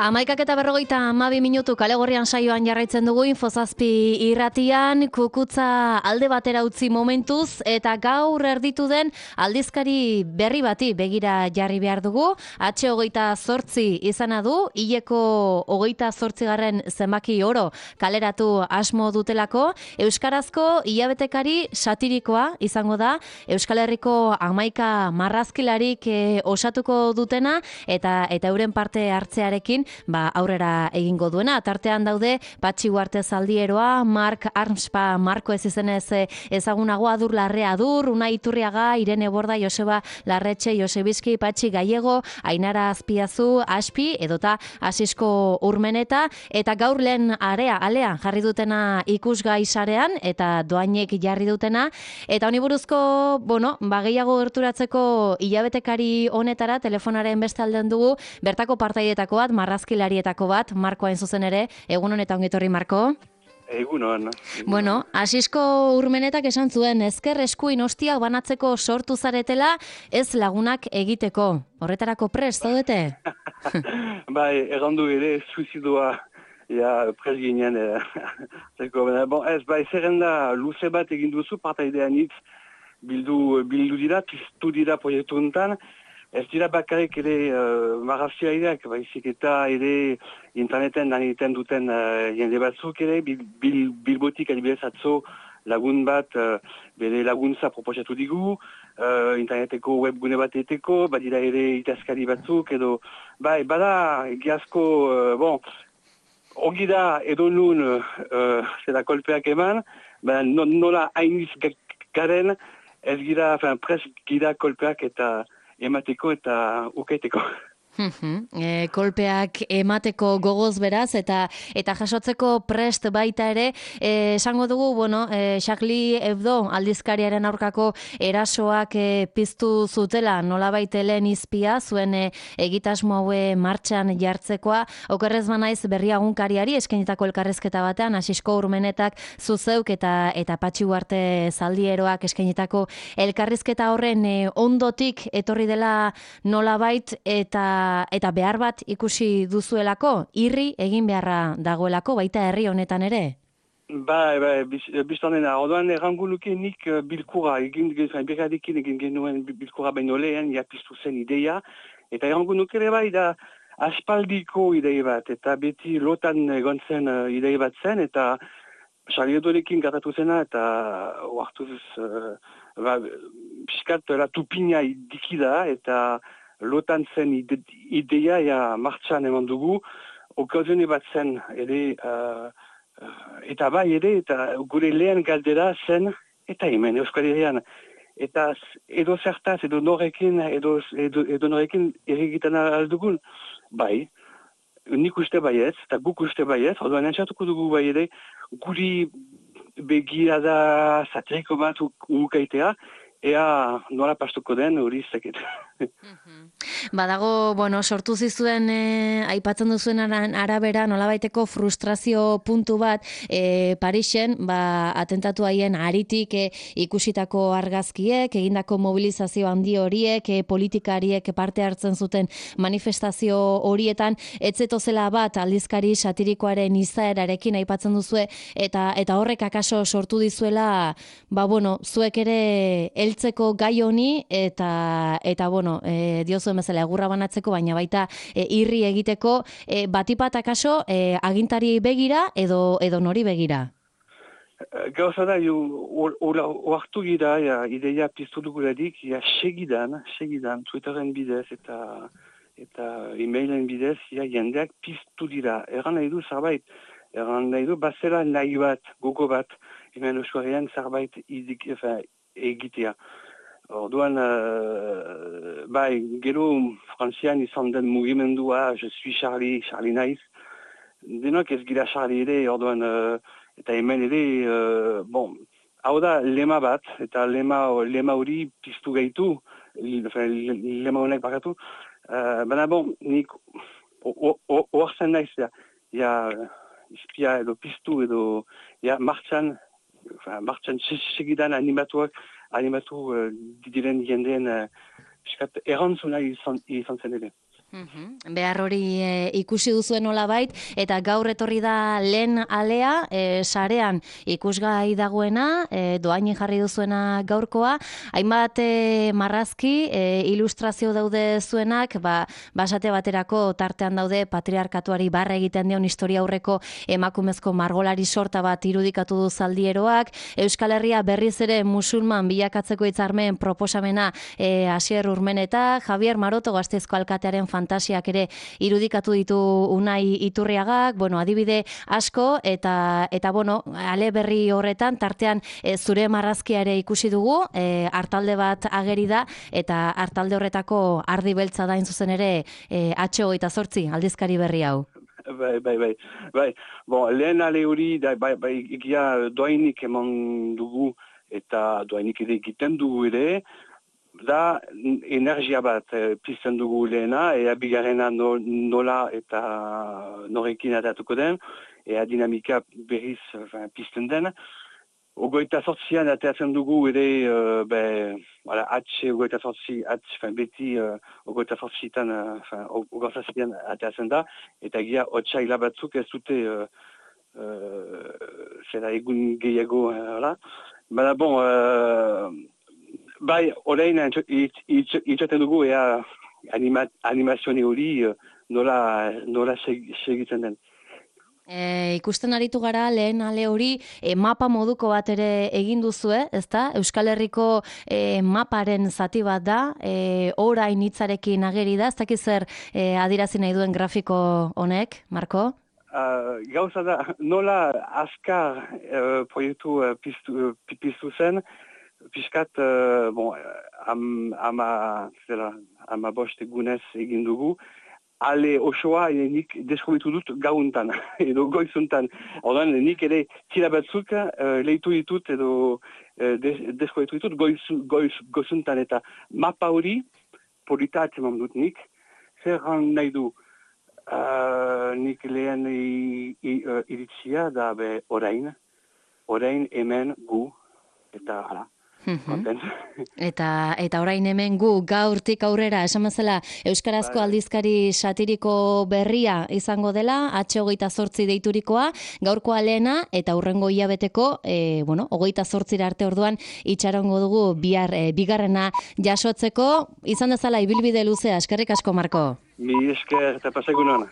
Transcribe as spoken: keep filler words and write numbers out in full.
Amaikak eta berrogeita hamabi minutu kale gorrian saioan jarraitzen dugu Infozazpi irratian, kukutza alde batera utzi momentuz, eta gaur erditu den aldizkari berri bati begira jarri behar dugu. H hogeita zortzi izana du, hileko hogeita zortzigarren zenbaki oro kaleratu asmo dutelako, euskarazko hilabetekari satirikoa izango da, Euskal Herriko amaika marrazkilarik eh, osatuko dutena, eta eta euren parte hartzearekin ba, aurrera egingo duena. Tartean daude Patxi Uarte Zaldieroa, Mark Armspa Marko ez izenez ezagunago, Adur Larrea Adur, Unai Iturriaga, Irene Borda, Joseba Larretxe, Josebizki, Patxi Gallego, Ainara Azpiazu, Aspi, edota Asisko Urmeneta, eta gaur lehen area, alea jarri dutena ikusgai sarean, eta doainek jarri dutena, eta honi buruzko, bueno, ba, gehiago gerturatzeko hilabetekari honetara, telefonaren beste alden dugu, bertako partaietako bat, marrazkilarietako bat, Marko hain zuzen ere, egun honetan ongi etorri, Marko. Egunon. Bueno, Asisko Urmenetak esan zuen, ezker eskuin ostiak banatzeko sortu zaretela, ez lagunak egiteko. Horretarako prest, zaudete? Bai, errandu ere, suizidua, ja, prest ginen. Bon, ez, bai, zerrenda luze bat egin duzu, partaidean hitz, bildu, bildu dira, piztu dira proiektu enten. Ez dira bakarrik ere uh, marrazkiaideak, baizik eta ere interneten lan egiten duten uh, jende batzuk ere, bil, bil, bilbotik adibidez atzo lagun bat uh, bere laguntza proposatu digu, uh, interneteko webgune bat eteko, badira ere itazkari batzuk, edo, bai, bada egiazko, uh, bon, ongi da edo nun uh, zera kolpeak eman, ba, no, nola hainiz garen, ez gira, pres gira kolpeak eta emateko eta ukaiteko. e, kolpeak emateko gogoz beraz, eta eta jasotzeko prest baita ere, e, esango dugu, bueno, e, Charlie Hebdo aldizkariaren aurkako erasoak e, piztu zutela, nolabait lehen izpia, zuen e, egitasmo haue martxan jartzekoa, okerrez banaiz berriagunkariari eskainitako elkarrezketa batean, Asisko Urmenetak zuzeuk eta eta Patxi Uarte Zaldieroak eskainitako elkarrizketa horren e, ondotik etorri dela nolabait, eta eta behar bat ikusi duzuelako, irri egin beharra dagoelako, baita herri honetan ere? Bai, bai, biztan dena, orduan errango nuke nik bilkura, egin, beradekin egin genuen bilkura baino lehen, ja piztu zen ideia, eta errango nuke ere bai da aspaldiko idei bat, eta beti lotan egon zen uh, idei bat zen, eta Charlie gatatu zena, eta oartuz, uh, ba, piskat, la tupina dikida, eta lotan zen ide, ideia ja martxan eman dugu, okazione bat zen ere, uh, uh, eta bai ere, eta gure lehen galdera zen, eta hemen Euskal Herrian. Eta edo zertaz, edo norekin, edo, edo, edo norekin erregitan aldugun, bai, nik uste baiez, eta guk uste baiez, orduan entzatuko dugu bai ere, guri begirada satiriko bat ukaitea, ea nola pastuko den hori zeket. Badago, bueno, sortu zizuen e, aipatzen duzuen arabera nolabaiteko frustrazio puntu bat e, Parisen, ba, atentatu haien aritik e, ikusitako argazkiek, egindako mobilizazio handi horiek, e, politikariek parte hartzen zuten manifestazio horietan, etzetozela bat aldizkari satirikoaren izaerarekin aipatzen duzue, eta eta horrek akaso sortu dizuela, ba, bueno, zuek ere heltzeko gai honi, eta, eta bueno, e, diozuen bezala egurra banatzeko, baina baita e, irri egiteko, e, batipat akaso e, agintari begira edo edo nori begira? Gauza da, oartu gira, ja, ideia piztu duguladik, ja, segidan, segidan, Twitteren bidez eta eta e-mailen bidez, ja, jendeak piztu dira. Erran nahi du zerbait, erran nahi du, bazela nahi bat, gogo bat, hemen Euskal zerbait egitea. Orduan, uh, bai, gero Frantzian izan den mugimendua, je suis Charlie, Charlie naiz. Denok ez gira Charlie ere, orduan, uh, eta hemen ere, uh, bon, hau da lema bat, eta lema, lema hori piztu gaitu, lema honek bakatu. Uh, Baina, bon, nik oartzen naiz, ja, ja, izpia edo piztu edo, ja, martxan, martxan segidan animatuak, animatu uh, diren jendeen uh, errantzuna izan, izan zen ere. Mhm. Behar hori e, ikusi duzuen nolabait, eta gaur etorri da lehen alea, e, sarean ikusgai dagoena, e, doaini jarri duzuena gaurkoa, hainbat e, marrazki, e, ilustrazio daude zuenak, ba, basate baterako tartean daude patriarkatuari barra egiten dion historia aurreko emakumezko margolari sorta bat irudikatu du Zaldieroak, Euskal Herria berriz ere musulman bilakatzeko hitzarmen proposamena e, Asier Urmeneta, Javier Maroto Gasteizko alkatearen fantasiak ere irudikatu ditu Unai Iturriagak, bueno, adibide asko, eta, eta bueno, ale berri horretan, tartean e, zure marrazkia ere ikusi dugu, e, hartalde bat ageri da, eta hartalde horretako ardi beltza da zuzen ere e, H hogeita zortzi aldizkari berri hau. Bai, bai, bai, bai. Bon, lehen ale hori, da, bai, bai, egia doainik eman dugu, eta doainik ere egiten dugu ere, da energia bat e, pizten dugu lehena, ea bigarrena no, nola eta norekin atatuko den, ea dinamika berriz enfin, pizten den. Ogoita sortzian ateratzen dugu ere, uh, be, voilà, atxe ogoita sortzi, atxe, fin, beti uh, ogoita sortzitan, uh, ogoita sortzian ateratzen da, eta egia otxaila batzuk ez dute, uh, uh, zera egun gehiago, uh, Baina, bon, uh, bai, orain itxaten dugu, ea anima, animazione hori uh, nola, nola segitzen den. E, ikusten aritu gara lehen ale hori e, mapa moduko bat ere egin duzue, ezta? Euskal Herriko e, maparen zati bat da, e, orain hitzarekin ageri da, ez dakiz zer e, adirazi nahi duen grafiko honek, Marko? Uh, gauza da, nola azkar uh, proiektu uh, piztu, uh, piztu zen, piskat, uh, bon, am, ama, zela, ama bost egunez egin dugu, ale osoa nik deskubritu dut gauntan, edo goizuntan. Ordan nik ere tira batzuk uh, lehitu ditut edo uh, deskubritu ditut goiz, goiz, goizuntan. Eta mapa hori, polita atzeman dut nik, zer nahi du uh, nik lehen iritzia da be orain, orain hemen gu, eta hala. Eta eta orain hemen gu gaurtik aurrera esan bezala euskarazko aldizkari satiriko berria izango dela H hogeita zortzi deiturikoa, gaurkoa lehena eta hurrengo hilabeteko e, bueno, hogeita zortzira arte orduan itxarongo dugu bihar e, bigarrena jasotzeko, izan dezala ibilbide luzea. Eskerrik asko, Marko. Mi esker eta pasegunon.